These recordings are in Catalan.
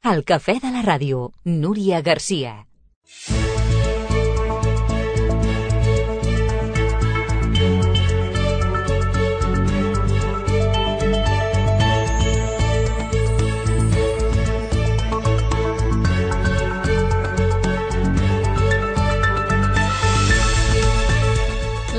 Al Cafè de la Ràdio, Núria Garcia.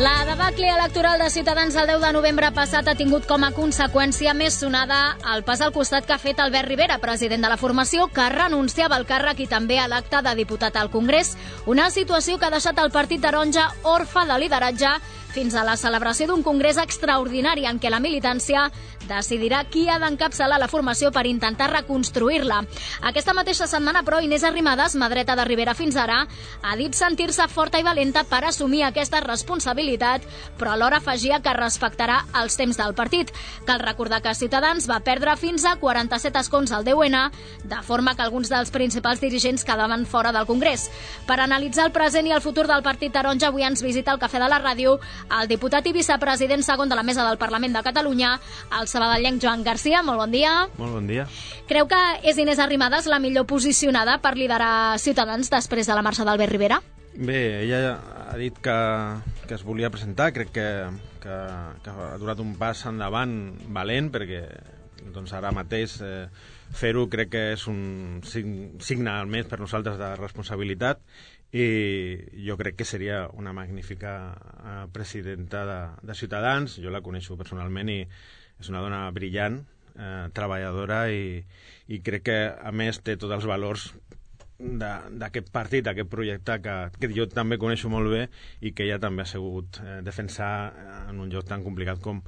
La debacle electoral de Ciutadans el 10 de novembre passat ha tingut com a conseqüència més sonada el pas al costat que ha fet Albert Rivera, president de la formació, que renunciava al càrrec i també a l'acte de diputat al Congrés. Una situació que ha deixat el Partit Taronja orfe de lideratge fins a la celebració d'un congrés extraordinari en què la militància decidirà qui ha d'encapçalar la formació per intentar reconstruir-la. Aquesta mateixa setmana, però, Inés Arrimadas, mà dreta de Rivera fins ara, ha dit sentir-se forta i valenta per assumir aquesta responsabilitat, però alhora afegia que respectarà els temps del partit. Cal recordar que Ciutadans va perdre fins a 47 escons al 10N, de forma que alguns dels principals dirigents quedaven fora del Congrés. Per analitzar el present i el futur del Partit Taronja, avui ens visita al Cafè de la Ràdio el diputat i vicepresident segon de la Mesa del Parlament de Catalunya, el sabadellenc Joan Garcia. Molt bon dia. Molt bon dia. Creu que és Inés Arrimadas la millor posicionada per liderar Ciutadans després de la marxa d'Albert Rivera? Bé, ella ha dit que es volia presentar. Crec que ha donat un pas endavant valent, perquè doncs, ara mateix fer-ho crec que és un signe almenys per nosaltres de responsabilitat, i jo crec que seria una magnífica presidenta de Ciutadans. Jo la coneixo personalment i és una dona brillant, treballadora, i crec que a més té tots els valors d'aquest partit, d'aquest projecte que jo també coneixo molt bé i que ella també ha sabut defensar en un lloc tan complicat com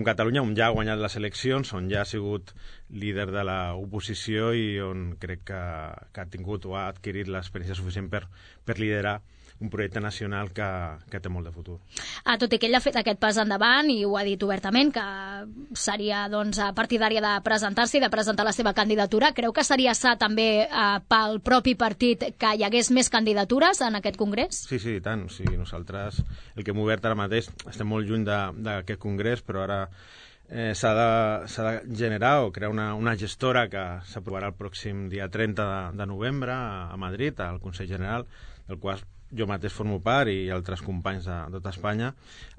Catalunya, on ja ha guanyat les eleccions, on ja ha sigut líder de l'oposició i on crec que ha tingut o ha adquirit l'experiència suficient per liderar un projecte nacional que té molt de futur. Tot i que ell ha fet aquest pas endavant i ho ha dit obertament, que seria partidària de presentar-se i de presentar la seva candidatura, creu que seria sa també pel propi partit que hi hagués més candidatures en aquest congrés? Sí, i tant. O sigui, nosaltres, el que hem obert ara mateix, estem molt lluny d'aquest congrés, però ara s'ha de generar o crear una gestora que s'aprovarà el pròxim dia 30 de novembre a Madrid, al Consell General, del qual jo mateix formo part i altres companys de tota Espanya.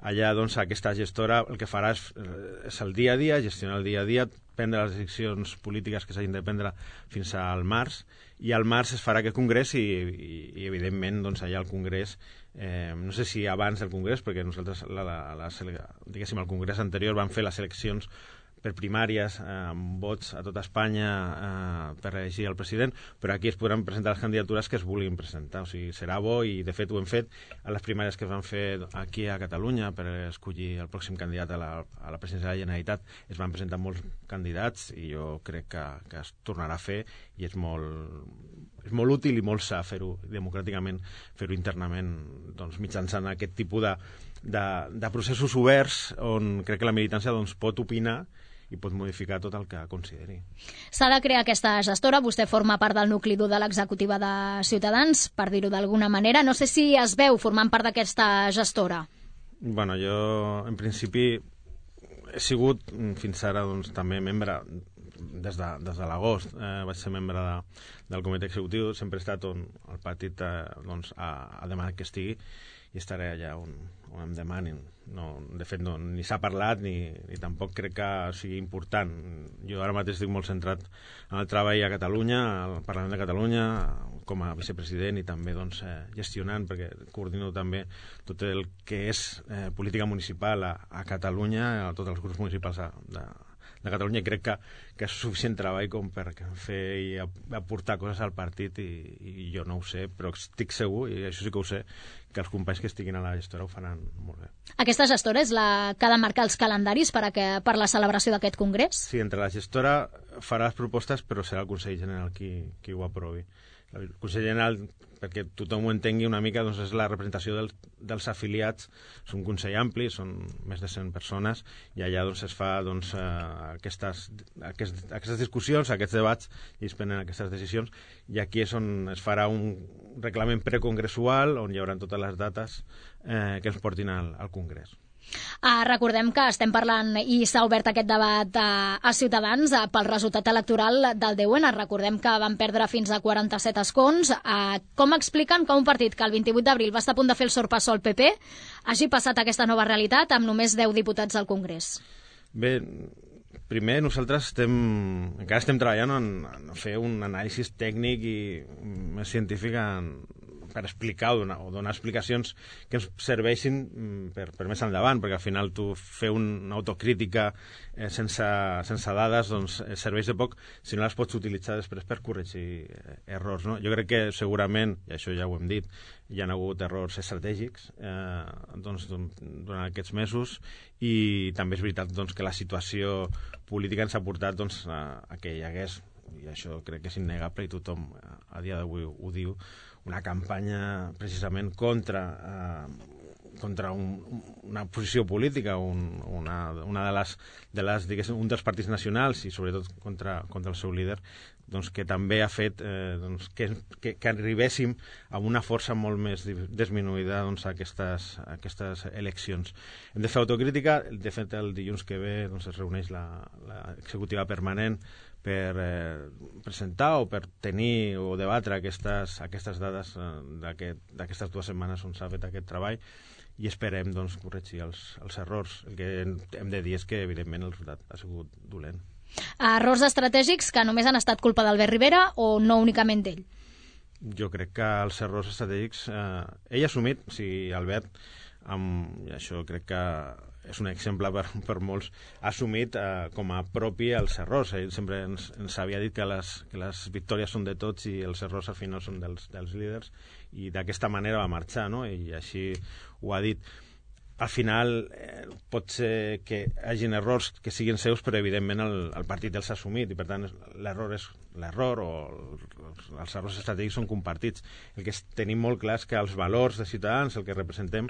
Allà, doncs, aquesta gestora el que farà és el dia a dia, gestionar el dia a dia, prendre les decisions polítiques que s'hagin de prendre fins al març, i al març es farà aquest congrés i evidentment, doncs, allà al congrés, no sé si abans del congrés, perquè nosaltres, diguéssim, al congrés anterior van fer les eleccions per primàries, amb vots a tota Espanya per elegir el president, però aquí es podran presentar les candidatures que es vulguin presentar. O sigui, serà bo, i de fet ho hem fet a les primàries que es van fer aquí a Catalunya per escollir el pròxim candidat a la presidència de la Generalitat. Es van presentar molts candidats i jo crec que es tornarà a fer, i és molt útil i molt sa fer-ho democràticament, fer-ho internament, doncs, mitjançant aquest tipus de processos oberts on crec que la militància doncs, pot opinar i pot modificar tot el que consideri. S'ha de crear aquesta gestora. Vostè forma part del nucli dur de l'executiva de Ciutadans, per dir-ho d'alguna manera. No sé si es veu formant part d'aquesta gestora. Bueno, jo, en principi, he sigut fins ara doncs, també membre des de l'agost. Vaig ser membre del comitè executiu. Sempre he estat on el partit doncs, ha demanat que estigui, i estaré allà on em demanin. De fet, ni s'ha parlat ni tampoc crec que sigui important. Jo ara mateix estic molt centrat en el treball a Catalunya, al Parlament de Catalunya, com a vicepresident, i també doncs, gestionant, perquè coordino també tot el que és política municipal a Catalunya, a tots els grups municipals de Catalunya, i crec que és suficient treball com per fer i aportar coses al partit, i jo no ho sé, però estic segur, i això sí que ho sé, que els companys que estiguin a la gestora ho faran molt bé. Aquesta gestora és la que ha de marcar els calendaris per la celebració d'aquest congrés? Sí, entre la gestora farà les propostes, però serà el Consell General qui ho aprovi. El Consell General, perquè tothom ho entengui una mica, doncs és la representació dels afiliats. És un consell ampli, són més de 100 persones, i allà doncs, es fa doncs, aquestes discussions, aquests debats, i es prenen aquestes decisions, i aquí és on es farà un reglament precongressual on hi haurà totes les dates que ens portin al Congrés. Recordem que estem parlant i s'ha obert aquest debat a Ciutadans pel resultat electoral del 10N. Recordem que van perdre fins a 47 escons. Com expliquen que un partit que el 28 d'abril va estar a punt de fer el sorpassó al PP hagi passat aquesta nova realitat amb només 10 diputats al Congrés? Bé, primer nosaltres encara estem treballant en fer un anàlisi tècnic i més científic per explicar o donar explicacions que ens serveixin per més endavant, perquè al final tu fer una autocrítica sense dades doncs serveix de poc si no les pots utilitzar després per corregir errors, no? Jo crec que segurament, i això ja ho hem dit, hi ha hagut errors estratègics durant aquests mesos, i també és veritat doncs, que la situació política ens ha portat a que hi hagués, i això crec que és innegable i tothom a dia d'avui ho diu, una campanya precisament contra una posició política, un dels partits nacionals i sobretot contra el seu líder, doncs, que també ha fet que arribéssim a una força molt més disminuïda a aquestes eleccions. Hem de fer autocrítica. De fet, el dilluns que ve es reuneix l'executiva permanent per presentar o per tenir o debatre aquestes dades d'aquestes 2 setmanes on s'ha fet aquest treball, i esperem corregir els errors. El que hem de dir és que evidentment el resultat ha sigut dolent. Errors estratègics que només han estat culpa d'Albert Rivera o no únicament d'ell? Jo crec que els errors estratègics ell ha assumit, Albert, i això crec que és un exemple per molts, ha assumit com a propi els errors. Ell sempre ens havia dit que les victòries són de tots i els errors al final són dels líders, i d'aquesta manera va marxar, no? I així ho ha dit. Al final pot ser que hi hagin errors que siguin seus, però evidentment el partit els ha assumit, i per tant l'error és l'error, o els errors estratègics són compartits. El que tenim molt clar és que els valors de Ciutadans, el que representem,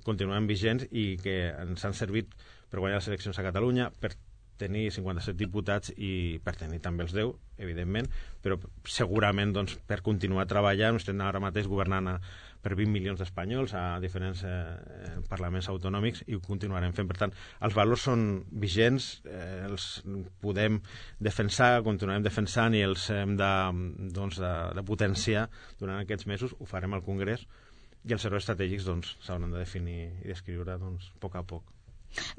continuen vigents i que ens han servit per guanyar les eleccions a Catalunya, per tenir 57 diputats i per tenir també els 10, evidentment, però segurament per continuar treballant. Estem ara mateix governant per 20 milions d'espanyols a diferents parlaments autonòmics, i ho continuarem fent. Per tant, els valors són vigents, els podem defensar, continuarem defensant, i els hem de potenciar durant aquests mesos. Ho farem al Congrés, i els errors estratègics s'hauran de definir i descriure a poc a poc.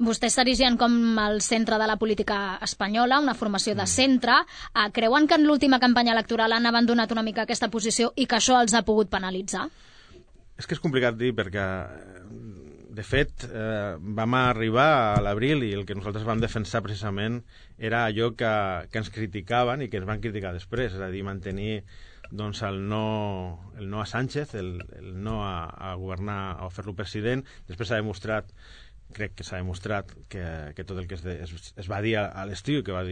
Vostès s'erigien com el centre de la política espanyola, una formació de centre. Creuen que en l'última campanya electoral han abandonat una mica aquesta posició i que això els ha pogut penalitzar? És que és complicat dir, perquè de fet vam arribar a l'abril i el que nosaltres vam defensar precisament era allò que ens criticaven i que ens van criticar després, és a dir, mantenir el no a Sánchez, el no a governar o a fer-lo president. Després crec que s'ha demostrat que tot el que es va dir a l'estiu i que va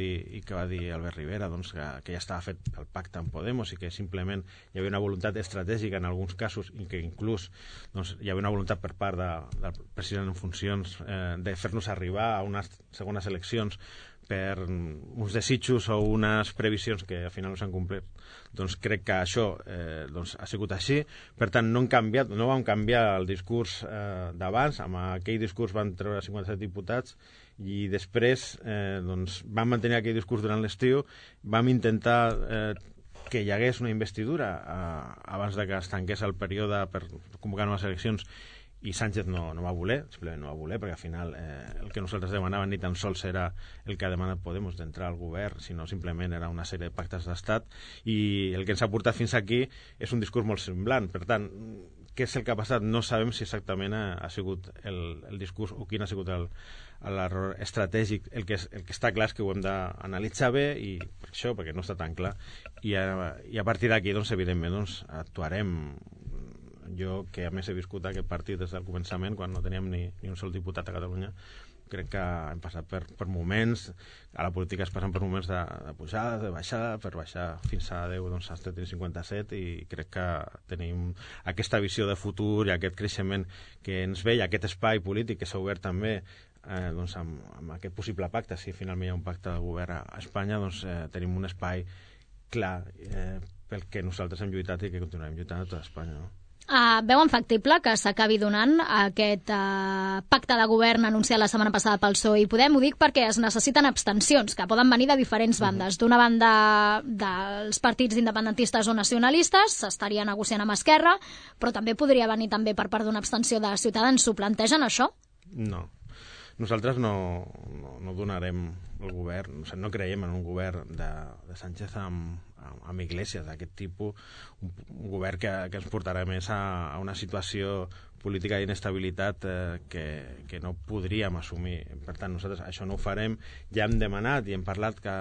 dir Albert Rivera, que ja estava fet el pacte amb Podemos, i que simplement hi havia una voluntat estratègica en alguns casos, i que inclús hi havia una voluntat per part del president en funcions de fer-nos arribar a unes segones eleccions per uns desitjos o unes previsions que al final no s'han complert. Crec que això ha sigut així. Per tant, no vam canviar el discurs d'abans. Amb aquell discurs van treure 57 diputats, i després vam mantenir aquell discurs durant l'estiu. Vam intentar que hi hagués una investidura abans de que es tanqués el període per convocar noves eleccions, i Sánchez no va voler, simplement no va voler, perquè al final el que nosaltres demanàvem ni tan sols era el que ha demanat Podemos d'entrar al govern, sinó simplement era una sèrie de pactes d'estat, i el que ens ha portat fins aquí és un discurs molt semblant. Per tant, què és el que ha passat? No sabem si exactament ha sigut el discurs o quin ha sigut l'error estratègic. El que està clar és que ho hem d'analitzar bé, i per això, perquè no està tan clar, i a partir d'aquí, evidentment, actuarem. Jo, que a més he viscut aquest partit des del començament, quan no teníem ni un sol diputat a Catalunya, crec que hem passat per moments, a la política es passen per moments de pujada, de baixada, per baixar fins a 10, has de tenir 57, i crec que tenim aquesta visió de futur i aquest creixement que ens ve, i aquest espai polític que s'ha obert també amb aquest possible pacte. Si finalment hi ha un pacte de govern a Espanya, tenim un espai clar pel que nosaltres hem lluitat i que continuarem lluitant a tota Espanya, no? Veuen factible que s'acabi donant aquest pacte de govern anunciat la setmana passada pel PSOE i Podem? Ho dic perquè es necessiten abstencions, que poden venir de diferents bandes. D'una banda, dels partits independentistes o nacionalistes, s'estaria negociant amb Esquerra, però també podria venir també per part d'una abstenció de Ciutadans. S'ho plantegen, això? No. Nosaltres no donarem el govern, no creiem en un govern de Sánchez amb Iglesias d'aquest tipus, un govern que ens portarà més a una situació política d'inestabilitat que no podríem assumir. Per tant, nosaltres això no ho farem. Ja hem demanat i hem parlat que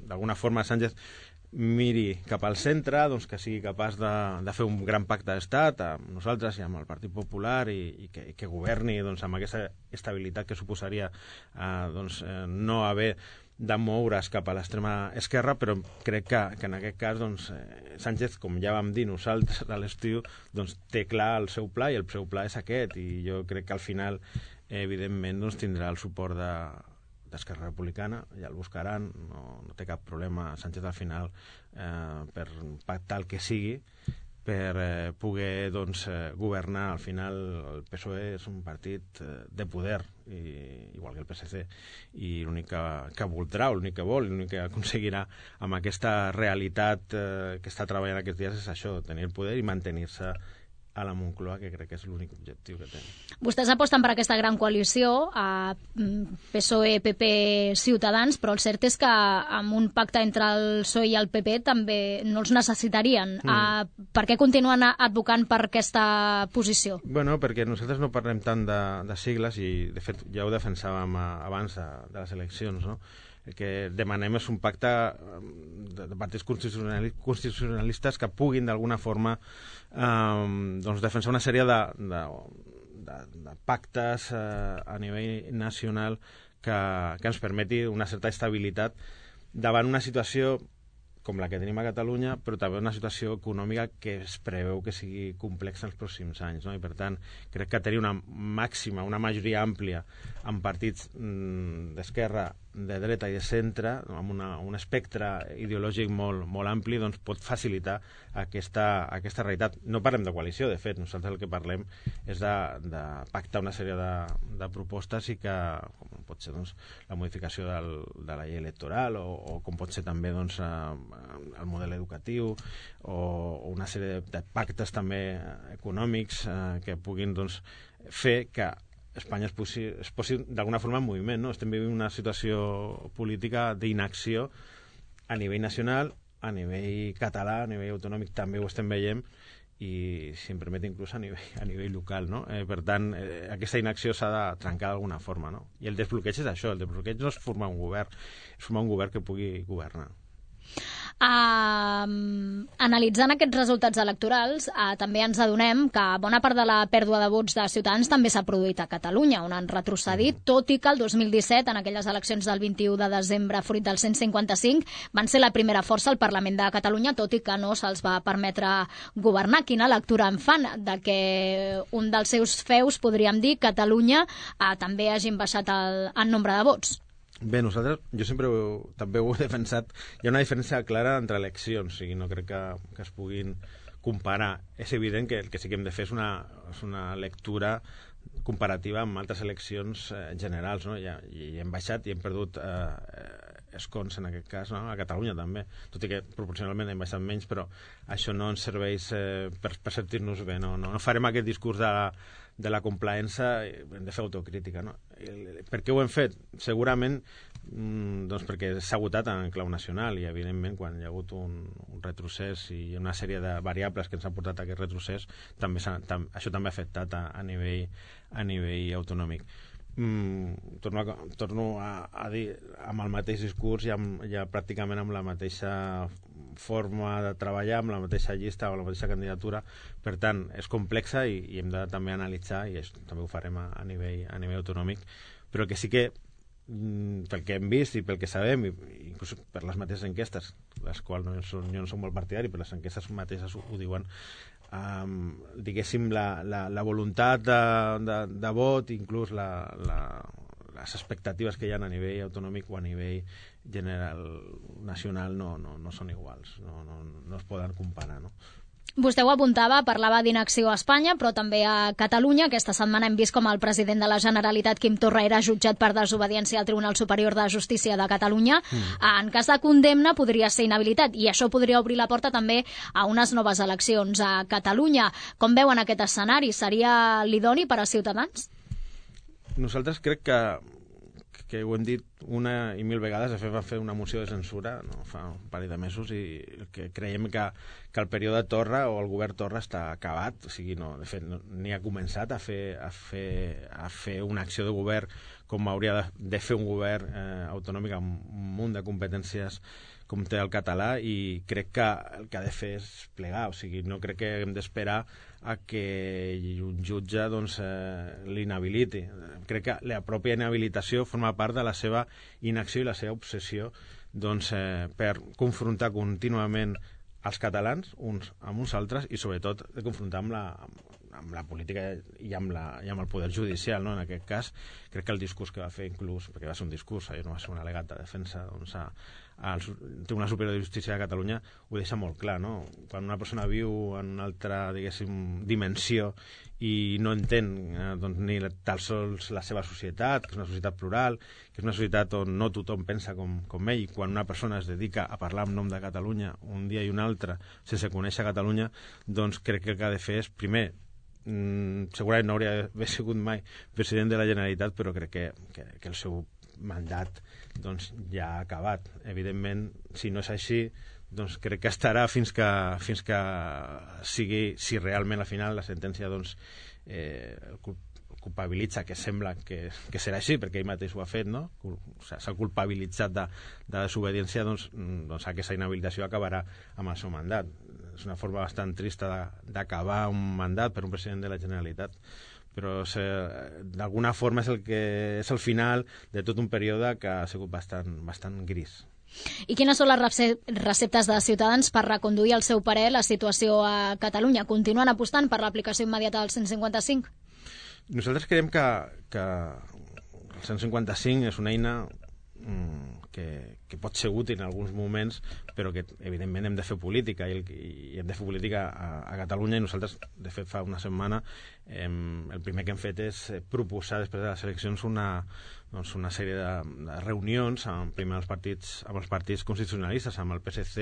d'alguna forma Sánchez miri cap al centre, que sigui capaç de fer un gran pacte d'estat amb nosaltres i amb el Partit Popular i que governi amb aquesta estabilitat que suposaria no haver de moure's cap a l'extrema esquerra, però crec que en aquest cas Sánchez, com ja vam dir nosaltres a l'estiu, té clar el seu pla i el seu pla és aquest, i jo crec que al final evidentment tindrà el suport d'Esquerra Republicana, ja el buscaran, no té cap problema Sánchez al final per pactar el que sigui per poder governar. Al final el PSOE és un partit de poder, igual que el PSC, i l'únic que voldrà, l'únic que vol, l'únic que aconseguirà amb aquesta realitat que està treballant aquests dies és això, tenir el poder i mantenir-se a la Moncloa, que crec que és l'únic objectiu que té. Vostès aposten per aquesta gran coalició, PSOE, PP, Ciutadans, però el cert és que amb un pacte entre el PSOE i el PP també no els necessitarien. Per què continuen advocant per aquesta posició? Bueno, perquè nosaltres no parlem tant de sigles i, de fet, ja ho defensàvem abans de les eleccions, no? El que demanem és un pacte de partits constitucionalistes que puguin d'alguna forma defensar una sèrie de pactes a nivell nacional que ens permeti una certa estabilitat davant una situació com la que tenim a Catalunya, però també una situació econòmica que es preveu que sigui complexa en els pròxims anys, no? I per tant, crec que tenir una majoria àmplia en partits d'esquerra, de dreta i de centre, amb un espectre ideològic molt ampli, pot facilitar aquesta realitat. No parlem de coalició, de fet, nosaltres el que parlem és de pactar una sèrie de propostes i que, com pot ser la modificació de la llei electoral o com pot ser també el model educatiu o una sèrie de pactes també econòmics que puguin fer que Espanya es posi d'alguna forma en moviment, no? Estem vivint una situació política d'inacció a nivell nacional, a nivell català, a nivell autonòmic també ho estem veient, i si em permet inclús a nivell local, no? Per tant, aquesta inacció s'ha de trencar d'alguna forma, no? I el desbloqueig és això, el desbloqueig no és formar un govern, és formar un govern que pugui governar. Analitzant aquests resultats electorals, també ens adonem que bona part de la pèrdua de vots de Ciutadans també s'ha produït a Catalunya, on han retrocedit, tot i que el 2017, en aquelles eleccions del 21 de desembre, fruit del 155, van ser la primera força al Parlament de Catalunya, tot i que no se'ls va permetre governar. Quina lectura en fan de que un dels seus feus, podríem dir, Catalunya, també hagin baixat en nombre de vots? Bé, jo sempre també ho he defensat. Hi ha una diferència clara entre eleccions, o sigui, no crec que es puguin comparar. És evident que el que sí que hem de fer és una lectura comparativa amb altres eleccions generals, no? I hem baixat i hem perdut escons, en aquest cas, no? A Catalunya també, tot i que proporcionalment hem baixat menys, però això no ens serveix per sentir-nos bé, no farem aquest discurs de la complaença, hem de fer autocrítica, no? Per què ho hem fet? Segurament perquè s'ha votat en clau nacional i evidentment quan hi ha hagut un retrocés i una sèrie de variables que ens han portat a aquest retrocés, això també ha afectat a nivell autonòmic. Torno a dir, amb el mateix discurs ja pràcticament amb la mateixa forma de treballar, amb la mateixa llista o la mateixa candidatura. Per tant, és complexa i hem de també analitzar, i això també ho farem a nivell autonòmic, però el que sí que pel que hem vist i pel que sabem, inclús per les mateixes enquestes, les quals jo no soc molt partidari, però les enquestes mateixes ho diuen, diguéssim, la voluntat de vot, inclús les expectatives que hi ha a nivell autonòmic o a nivell general nacional no són iguals, no es poden comparar, no? Vostè ho apuntava, parlava d'inacció a Espanya, però també a Catalunya. Aquesta setmana hem vist com el president de la Generalitat, Quim Torra, era jutjat per desobediència al Tribunal Superior de Justícia de Catalunya. En cas de condemna podria ser inhabilitat i això podria obrir la porta també a unes noves eleccions a Catalunya. Com veuen aquest escenari? Seria l'idoni per a Ciutadans? Nosaltres crec que ho hem dit una i mil vegades. De fet, va fer una moció de censura fa un parell de mesos i que creiem que el període Torra o el govern Torra està acabat. O sigui, de fet, ni ha començat a fer una acció de govern com hauria de fer un govern autonòmic amb un munt de competències com té el català, i crec que el que ha de fer és plegar. O sigui, no crec que hem d'esperar a que un jutge l'inhabiliti. Crec que la pròpia inhabilitació forma part de la seva inacció i la seva obsessió per confrontar contínuament els catalans uns amb uns altres i sobretot de confrontar amb la política i amb el poder judicial, no? En aquest cas crec que el discurs que va fer, inclús perquè va ser un discurs, no va ser un al·legat de defensa al Tribunal Superior de Justícia de Catalunya, ho deixa molt clar, no? Quan una persona viu en una altra, diguéssim, dimensió i no entén ni tan sols la seva societat, que és una societat plural, que és una societat on no tothom pensa com ell, quan una persona es dedica a parlar en nom de Catalunya un dia i un altre sense conèixer Catalunya, doncs crec que el que ha de fer és, primer, segurament no hauria d'haver sigut mai president de la Generalitat, però crec que el seu mandat ja ha acabat. Evidentment, si no és així, crec que estarà fins que sigui, si realment al final la sentència el culpabilitza, que sembla que serà així, perquè ell mateix ho ha fet, no? S'ha culpabilitzat de desobediència, aquesta inhabilitació acabarà amb el seu mandat. És una forma bastant trista d'acabar un mandat per un president de la Generalitat, però d'alguna forma és el final de tot un període que ha sigut bastant gris. I quines són les receptes de Ciutadans per reconduir el seu parer la situació a Catalunya? Continuen apostant per l'aplicació immediata del 155? Nosaltres creiem que el 155 és una eina que pot ser útil en alguns moments, però que evidentment hem de fer política i hem de fer política a Catalunya, i nosaltres, de fet, fa una setmana el primer que hem fet és proposar després de les eleccions una sèrie de reunions primer amb els partits constitucionalistes, amb el PSC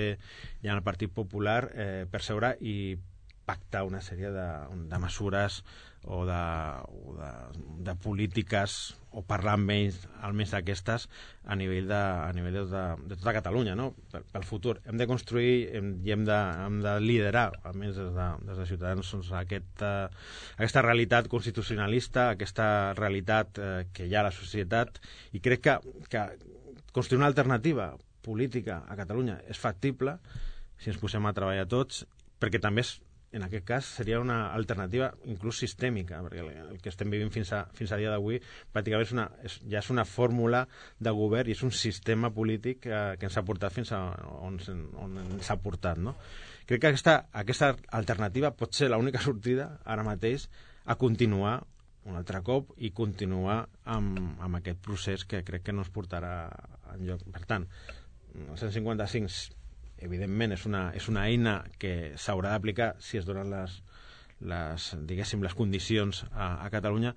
i amb el Partit Popular, per seure i pactar una sèrie de mesures o de polítiques, o parlar amb ells almenys d'aquestes a nivell de tota Catalunya, no? Pel futur. Hem de construir i hem de liderar, almenys des de Ciutadans, aquesta realitat constitucionalista, aquesta realitat que hi ha a la societat, i crec que construir una alternativa política a Catalunya és factible si ens posem a treballar tots, perquè també en aquest cas seria una alternativa inclús sistèmica, perquè el que estem vivint fins a dia d'avui pràcticament ja és una fórmula de govern i és un sistema polític que ens ha portat fins a on ens ha portat, no? Crec que aquesta alternativa pot ser l'única sortida ara mateix a continuar un altre cop i continuar amb aquest procés que crec que no ens portarà enlloc. Per tant, el 155 evidentment és una eina que s'haurà d'aplicar si es donen les condicions a Catalunya,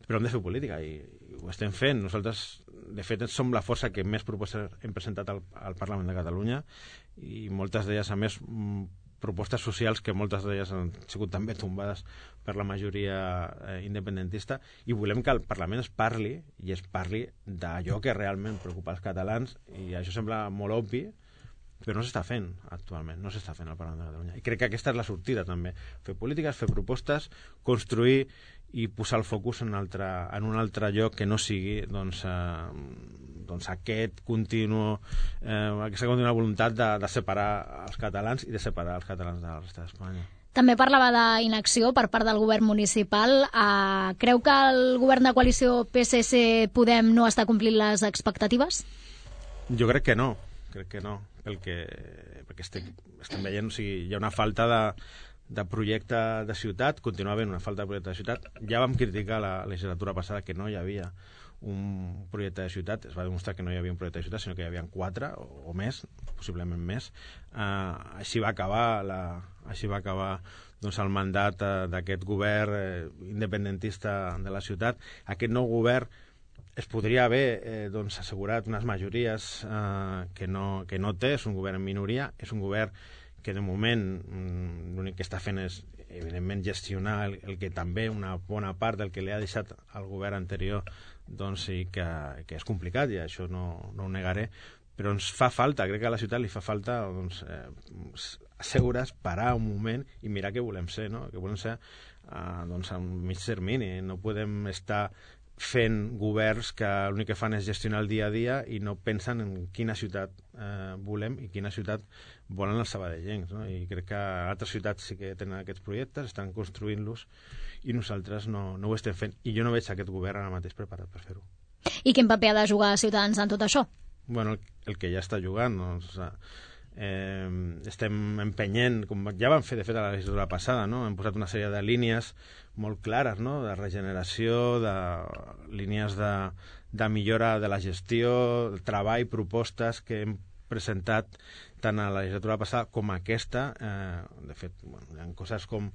però hem de fer política i ho estem fent. Nosaltres, de fet, som la força que més propostes hem presentat al Parlament de Catalunya, i moltes d'elles, a més, propostes socials que moltes d'elles han sigut també tombades per la majoria independentista, i volem que el Parlament es parli d'allò que realment preocupa els catalans, i això sembla molt obvi, però no s'està fent actualment, no s'està fent al Parlament de Catalunya. I crec que aquesta és la sortida també, fer polítiques, fer propostes, construir i posar el focus en un altre lloc que no sigui aquesta contínua voluntat de separar els catalans i de separar els catalans de la resta d'Espanya. També parlava d'inacció per part del govern municipal. Creu que el govern de coalició PSC-Podem no està complint les expectatives? Jo crec que no, perquè estem veient, o sigui, hi ha una falta de projecte de ciutat, continua havent una falta de projecte de ciutat. Ja vam criticar la legislatura passada que no hi havia un projecte de ciutat, es va demostrar que no hi havia un projecte de ciutat, sinó que hi havia 4 o més, possiblement més. Així va acabar així va acabar doncs, el mandat d'aquest govern independentista de la ciutat. Aquest nou govern es podria haver doncs, assegurat unes majories que no té, és un govern en minoria, és un govern que de moment l'únic que està fent és evidentment gestionar el que també una bona part del que li ha deixat al govern anterior doncs sí que és complicat, i això no ho negaré, però ens fa falta, crec que a la ciutat li fa falta doncs, asseure's, parar un moment i mirar què volem ser, no? Què volem ser doncs, a un mig termini. No podem estar fent governs que l'únic que fan és gestionar el dia a dia i no pensen en quina ciutat volem i quina ciutat volen els sabadellencs, no? I crec que altres ciutats sí que tenen aquests projectes, estan construint-los, i nosaltres no ho estem fent, i jo no veig aquest govern ara mateix preparat per fer-ho. I quin paper ha de jugar Ciutadans en tot això? Bueno, el que ja està jugant, doncs, estem empenyent, com ja vam fer de fet a la legislatura passada, no? Hem posat una sèrie de línies molt clares, no? De regeneració, de línies de millora de la gestió, treball, propostes que hem presentat tant a la legislatura passada com aquesta. De fet, bueno, hi ha coses com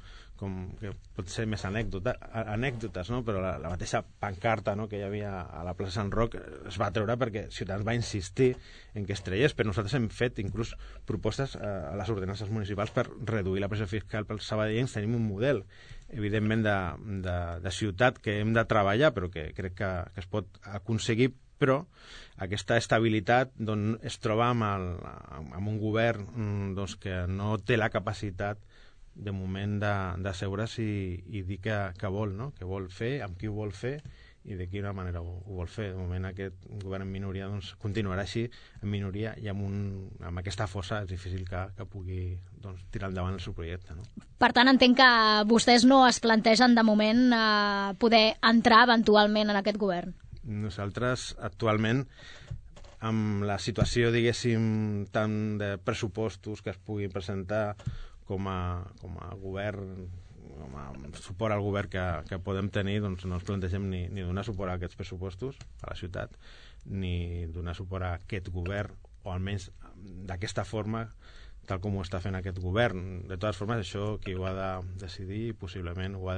que pot ser més anècdotes, no? Però la mateixa pancarta, no? Que hi havia a la plaça Sant Roc es va treure perquè Ciutadans va insistir en que es traiés, però nosaltres hem fet inclús propostes a les ordenances municipals per reduir la pressió fiscal pels sabadellencs. Tenim un model evidentment de ciutat que hem de treballar, però que crec que es pot aconseguir, però aquesta estabilitat doncs, es troba amb un govern doncs, que no té la capacitat de moment d'asseure's i dir que vol, no? Que vol fer, amb qui ho vol fer i de quina manera ho vol fer. De moment aquest govern en minoria doncs, continuarà així, en minoria, i amb aquesta fossa és difícil que pugui doncs, tirar endavant el seu projecte, no? Per tant, entenc que vostès no es plantegen de moment poder entrar eventualment en aquest govern. Nosaltres actualment, amb la situació, diguéssim, tant de pressupostos que es puguin presentar com a govern, com a suport al govern que podem tenir, doncs no ens plantegem ni donar suport a aquests pressupostos a la ciutat, ni donar suport a aquest govern, o almenys d'aquesta forma, tal com ho està fent aquest govern. De totes formes, això qui ho ha de decidir, possiblement ho ha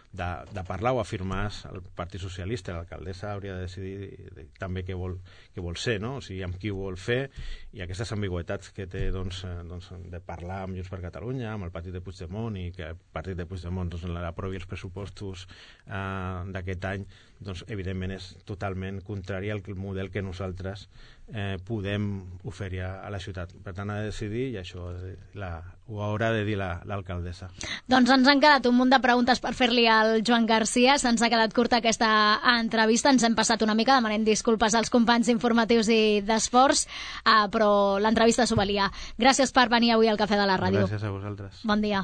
de parlar o afirmar el Partit Socialista. L'alcaldessa hauria de decidir també què vol ser, no? O sigui, amb qui ho vol fer, i aquestes ambigüetats que té doncs, de parlar amb Junts per Catalunya, amb el partit de Puigdemont, i que el partit de Puigdemont doncs, aprovi els pressupostos d'aquest any, doncs evidentment és totalment contrari al model que nosaltres podem oferir a la ciutat. Per tant, ha de decidir, i això ho haurà de dir l'alcaldessa. Doncs ens han quedat un munt de preguntes per fer-li al Joan Garcia. Se'ns ha quedat curta aquesta entrevista, ens hem passat una mica, demanem disculpes als companys informatius i d'esports, però l'entrevista s'ho valia. Gràcies per venir avui al Cafè de la Ràdio. Gràcies a vosaltres. Bon dia.